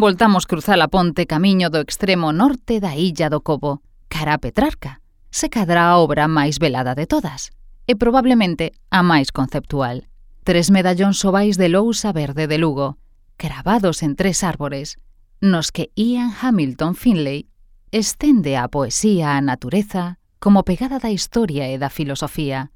Voltamos cruzar a ponte camiño do extremo norte da illa do Cobo, cara a Petrarca, se cadra a obra máis velada de todas, e probablemente a máis conceptual. 3 medallóns ovais de lousa verde de Lugo, cravados en 3 árbores, nos que Ian Hamilton Finlay estende a poesía á natureza como pegada da historia e da filosofía,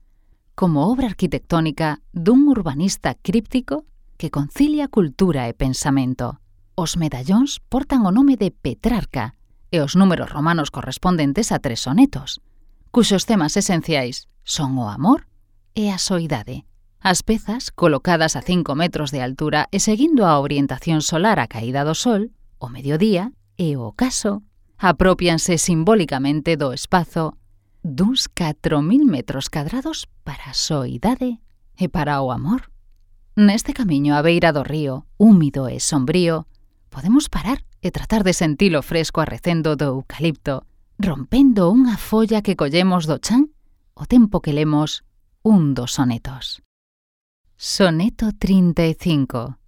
como obra arquitectónica dun urbanista críptico que concilia cultura e pensamento. Os medallóns portan o nome de Petrarca e os números romanos correspondentes a 3 sonetos, cuxos temas esenciais son o amor e a soidade. As pezas, colocadas a 5 metros de altura e seguindo a orientación solar á caída do sol, o mediodía e o ocaso, apropianse simbólicamente do espazo duns 4.000 metros cadrados para a soidade e para o amor. Neste camiño á beira do río, húmido e sombrío, podemos parar e tratar de sentir o fresco arrecendo do eucalipto, rompendo unha folla que collemos do chan o tempo que lemos un dos sonetos. Soneto 35.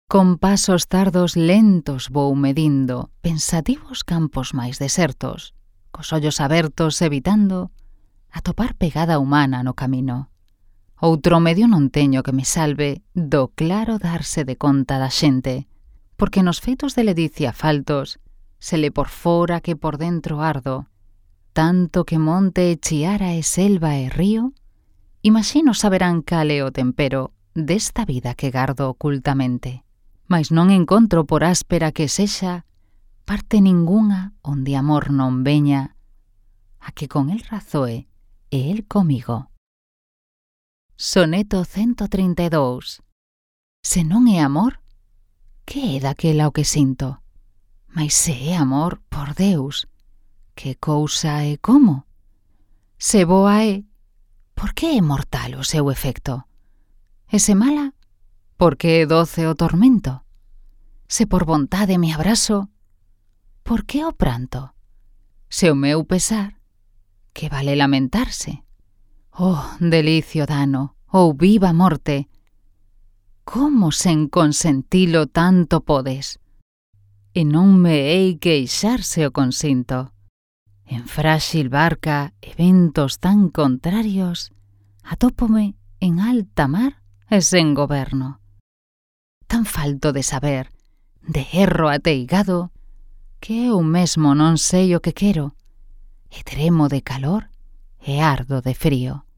Con pasos tardos lentos vou medindo pensativos campos máis desertos, cos ollos abertos evitando atopar pegada humana no camino. Outro medio non teño que me salve do claro darse de conta da xente, porque nos feitos de ledicia faltos se le por fora que por dentro ardo, tanto que monte e chiara e selva e río, imagino saberán cal é o tempero desta vida que gardo ocultamente, mas non encontro por áspera que sexa parte ningunha onde amor non veña, a que con el razoe e el comigo. Soneto 132. Se non é amor, que é daquela o que sinto? Mais se é amor, por Deus, que cousa e como? Se boa é, por que é mortal o seu efecto? E se mala, por que é doce o tormento? Se por vontade me abrazo, por que o pranto? Se o meu pesar, que vale lamentarse? Oh, delicio dano, ou viva morte, como sen consentilo tanto podes? E non me hei queixar se o consinto. En fráxil barca e ventos tan contrarios, atópome en alta mar e sen goberno. Tan falto de saber, de erro ateigado, que eu mesmo non sei o que quero, e tremo de calor e ardo de frío.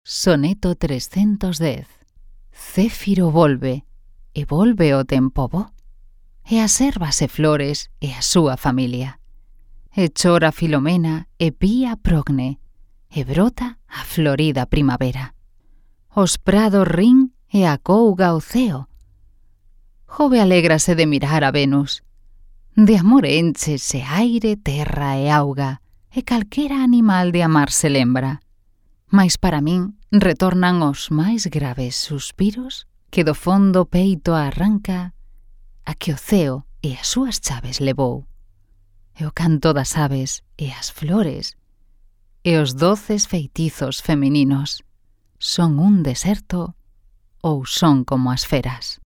Soneto 310. Céfiro volve, e volve o tempo bo, e as ervas e flores e a súa familia. E chora Filomena e pía progne, e brota a florida primavera. Os prados rin e acouga o ceo. Jove alégrase de mirar a Venus. De amor enchese aire, terra e auga, e calquera animal de amar se lembra. Mais para min retornan os máis graves suspiros que do fondo peito arranca a que o ceo e as súas chaves levou, e o canto das aves e as flores, e os doces feitizos femininos, son un deserto ou son como as feras.